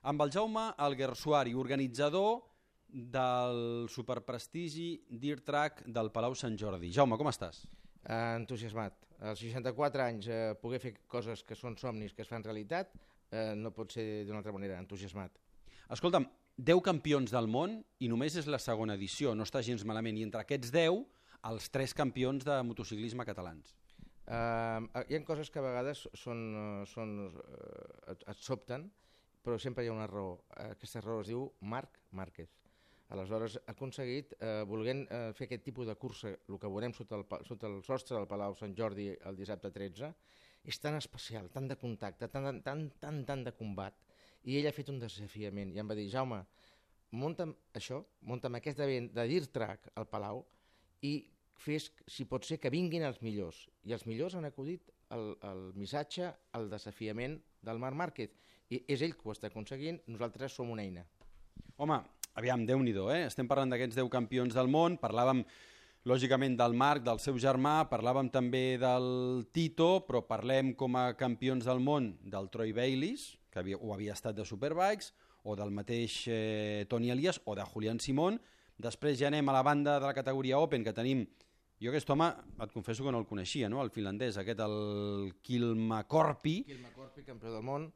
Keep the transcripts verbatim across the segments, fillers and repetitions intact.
amb el Jaume Alguersuari, organitzador del superprestigi Dirt Track del Palau Sant Jordi. Jaume, com estàs? Uh, entusiasmat. Als seixanta-quatre anys uh, poder fer coses que són somnis que es fan realitat uh, no pot ser d'una altra manera, entusiasmat. Escolta'm, deu campions del món i només és la segona edició, no està gens malament, i entre aquests deu, els tres campions de motociclisme catalans. Uh, hi ha coses que a vegades són, uh, són, uh, et, et sobten, però sempre hi ha una raó. Uh, aquesta raó es diu Marc Márquez. Aleshores, ha aconseguit, eh, volent eh, fer aquest tipus de cursa, el que veurem sota el, sota el sostre del Palau Sant Jordi el dissabte tretze, és tan especial, tan de contacte, tan, tan, tan, tan de combat, i ell ha fet un desafiament, i em va dir, Jaume, munta'm això, munta'm aquest event de Dirt Track al Palau, i fes, si pot ser, que vinguin els millors. I els millors han acudit el, el missatge, el desafiament del Marc Márquez, i és ell que ho està aconseguint, nosaltres som una eina. Home, aviam, Déu-n'hi-do, eh? Estem parlant d'aquests deu campions del món, parlàvem lògicament del Marc, del seu germà, parlàvem també del Tito, però parlem com a campions del món del Troy Bayliss, que havia, ho havia estat de Superbikes, o del mateix eh, Toni Elias, o de Julián Simón. Després ja anem a la banda de la categoria Open, que tenim, jo aquest home, et confesso que no el coneixia, no? El finlandès, aquest, el Kilmakorpi. Kilmakorpi, campió del món.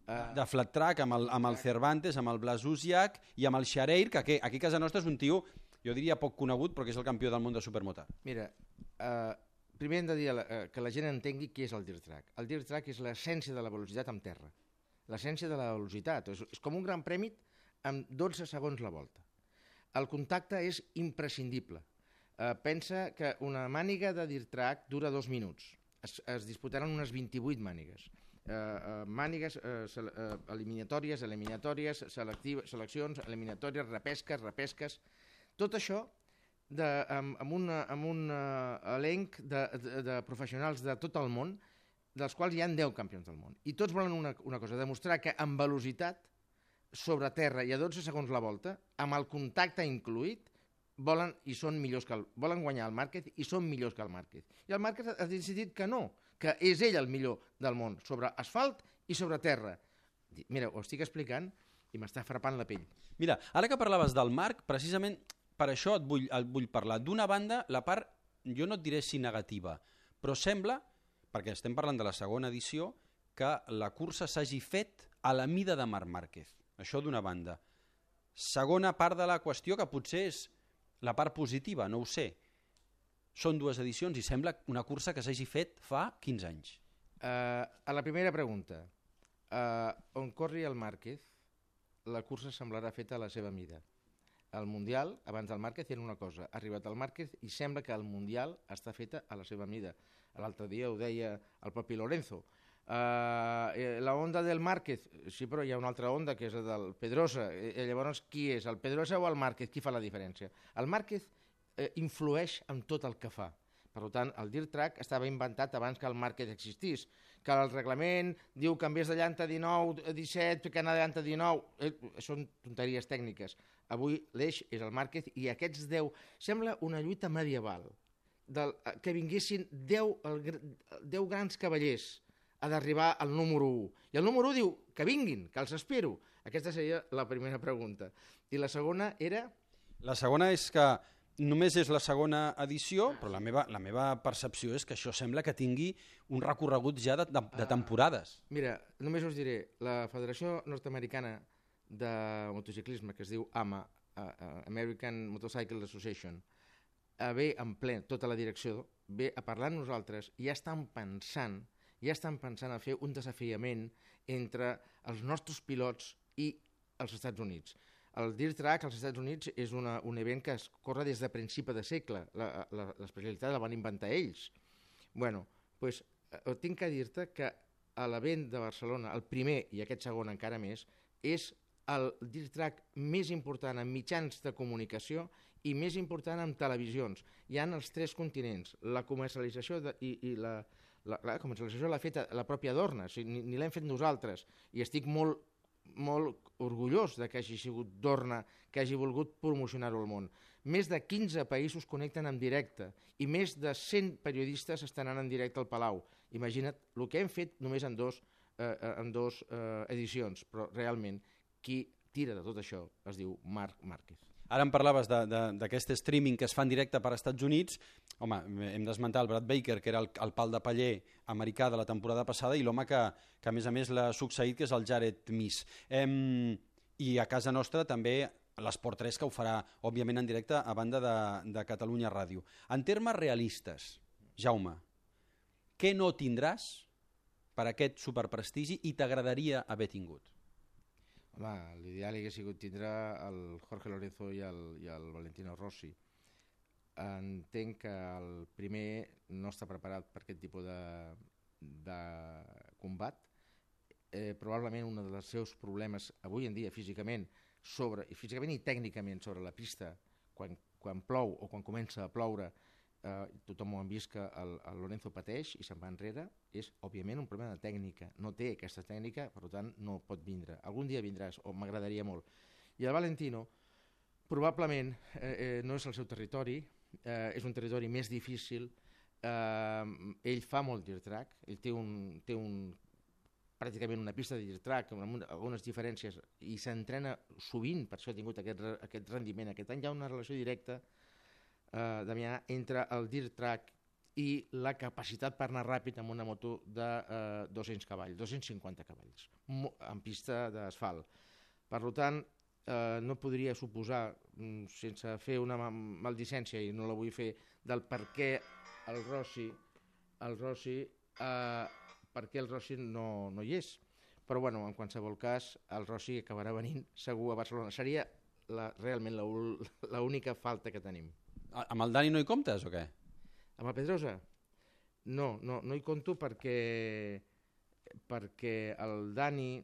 Uh, de flat track, amb el, amb el Cervantes, amb el Blasusiak i amb el Xareir, que aquí, aquí a casa nostra és un tio, jo diria poc conegut, però que és el campió del món de supermotar. Mira, uh, primer hem de dir uh, que la gent entengui què és el Dirt Track. El Dirt Track és l'essència de la velocitat en terra. L'essència de la velocitat. És, és com un gran premi amb dotze segons la volta. El contacte és imprescindible. Uh, pensa que una màniga de Dirt Track dura dos minuts. Es, es disputaran unes vint-i-vuit mànigues. Uh, uh, mànigues, uh, sele uh, eliminatòries, eliminatòries, seleccions, eliminatòries, repesques, repesques, tot això de, amb, amb, una, amb un uh, elenc de, de, de professionals de tot el món, dels quals hi ha deu campions del món. I tots volen una, una cosa, demostrar que amb velocitat, sobre terra i a dotze segons la volta, amb el contacte incluït, volen i són millors que el, volen guanyar el Márquez i són millors que el Márquez. I el Márquez ha decidit que no, que és ell el millor del món, sobre asfalt i sobre terra. Mira, ho estic explicant i m'està frapant la pell. Mira, ara que parlaves del Marc, precisament per això et vull, et vull parlar. D'una banda, la part, jo no et diré si negativa, però sembla, perquè estem parlant de la segona edició, que la cursa s'hagi fet a la mida de Marc Márquez. Això d'una banda. Segona part de la qüestió, que potser és la part positiva, no ho sé. Són dues edicions i sembla una cursa que s'hagi fet fa quinze anys. Uh, a la primera pregunta, uh, on corri el Márquez, la cursa semblarà feta a la seva mida. El Mundial, abans del Márquez, era una cosa. Ha arribat el Márquez i sembla que el Mundial està feta a la seva mida. L'altre dia ho deia el propi Lorenzo. Uh, la onda del Márquez, sí, però hi ha una altra onda que és la del Pedrosa. Eh, llavors, qui és, el Pedrosa o el Márquez? Qui fa la diferència? El Márquez eh, influeix en tot el que fa. Per tant, el Dirt Track estava inventat abans que el Márquez existís, que el reglament diu que en vez de llanta dinou a disset, que anar de llanta dinou, eh, són tonteries tècniques. Avui l'eix és el Márquez i aquests deu, sembla una lluita medieval, del, que vinguessin deu, el, deu grans cavallers ha d'arribar al número u. I el número u diu que vinguin, que els espero. Aquesta seria la primera pregunta. I la segona era... La segona és que només és la segona edició, però la meva, la meva percepció és que això sembla que tingui un recorregut ja de, de, de temporades. Uh, mira, només us diré, la Federació Nord-Americana de Motociclisme, que es diu A M A, uh, uh, American Motorcycle Association, uh, ve en ple tota la direcció, ve a parlar amb nosaltres i ja estan pensant ja estan pensant a fer un desafiament entre els nostres pilots i els Estats Units. El Dirt Track als Estats Units és una, un event que es corre des de principi de segle. L'especialitat la van inventar ells. Bueno, pues, eh, tinc que dir-te que a l'event de Barcelona, el primer i aquest segon encara més, és el Dirt Track més important en mitjans de comunicació i més important en televisions. Hi ha els tres continents, la comercialització de, i, i la... La, la comercialització l'ha fet la pròpia Dorna, o sigui, ni, ni l'hem fet nosaltres, i estic molt, molt orgullós de que hagi sigut Dorna, que hagi volgut promocionar-ho al món. Més de quinze països connecten en directe i més de cent periodistes estan anant en directe al Palau. Imagina't el que hem fet només en dos, eh, en dos eh, edicions, però realment qui tira de tot això es diu Marc Márquez. Ara em parlaves d'aquest streaming que es fa en directe per als Estats Units. Home, hem d'esmentar el Brad Baker, que era el, el pal de paller americà de la temporada passada, i l'home que, que a més a més l'ha succeït, que és el Jared Miss. Em, I a casa nostra també l'Esport tres, que ho farà, òbviament, en directe a banda de, de Catalunya Ràdio. En termes realistes, Jaume, què no tindràs per aquest superprestigi i t'agradaria haver tingut? Home, l'ideal hauria sigut tindre el Jorge Lorenzo i el, i el Valentino Rossi. Entenc que el primer no està preparat per aquest tipus de, de combat. Eh, probablement un dels seus problemes avui en dia físicament, sobre, i físicament i tècnicament sobre la pista, quan, quan plou o quan comença a ploure, eh, tothom ho han vist que el, el Lorenzo pateix i se'n va enrere, és òbviament un problema de tècnica, no té aquesta tècnica, per tant no pot vindre. Algun dia vindràs, o m'agradaria molt. I el Valentino probablement eh, eh, no és el seu territori, eh, és un territori més difícil, eh, ell fa molt dirt track, ell té un, té un pràcticament una pista de dirt track amb algunes diferències i s'entrena sovint, per això ha tingut aquest, aquest rendiment. Aquest any hi ha una relació directa, eh, Damià, entre el dirt track i la capacitat per anar ràpid amb una moto de eh, dos-cents cavalls, dos-cents cinquanta cavalls, en pista d'asfalt. Per tant, eh, no podria suposar, sense fer una maldicència, i no la vull fer, del per què el Rossi, el Rossi eh, per què el Rossi no, no hi és. Però bueno, en qualsevol cas, el Rossi acabarà venint segur a Barcelona. Seria la, realment l'única falta que tenim. Amb el Dani no hi comptes o què? Amb el Pedrosa? No, no, no hi compto perquè, perquè el Dani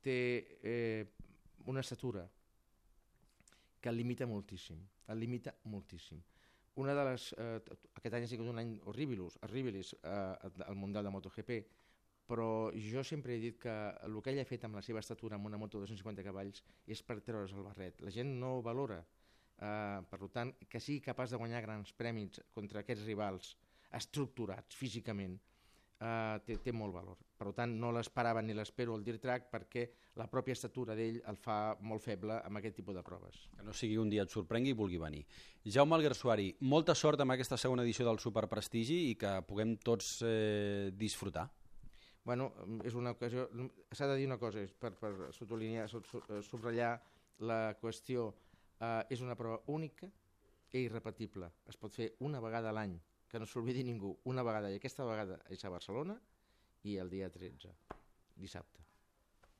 té eh, una estatura que el limita moltíssim, el limita moltíssim. Una de les, eh, aquest any ha sigut un any horribilis, horribilis eh, al Mundial de MotoGP, però jo sempre he dit que el que ell ha fet amb la seva estatura amb una moto de dos-cents cinquanta cavalls és per treure's el barret. La gent no ho valora. Uh, per tant, que sigui capaç de guanyar grans premis contra aquests rivals estructurats físicament uh, té, té molt valor. Per tant, no l'esperava ni l'espero al dirt track perquè la pròpia estatura d'ell el fa molt feble amb aquest tipus de proves. Que no sigui un dia et sorprengui i vulgui venir. Jaume Alguersuari, molta sort amb aquesta segona edició del Superprestigi i que puguem tots eh, disfrutar. Bueno, és una ocasió, s'ha de dir una cosa, per, per subratllar, subratllar la qüestió, eh, és una prova única i irrepetible. Es pot fer una vegada a l'any, que no s'oblidi ningú, una vegada, i aquesta vegada és a Barcelona i el dia tretze, dissabte.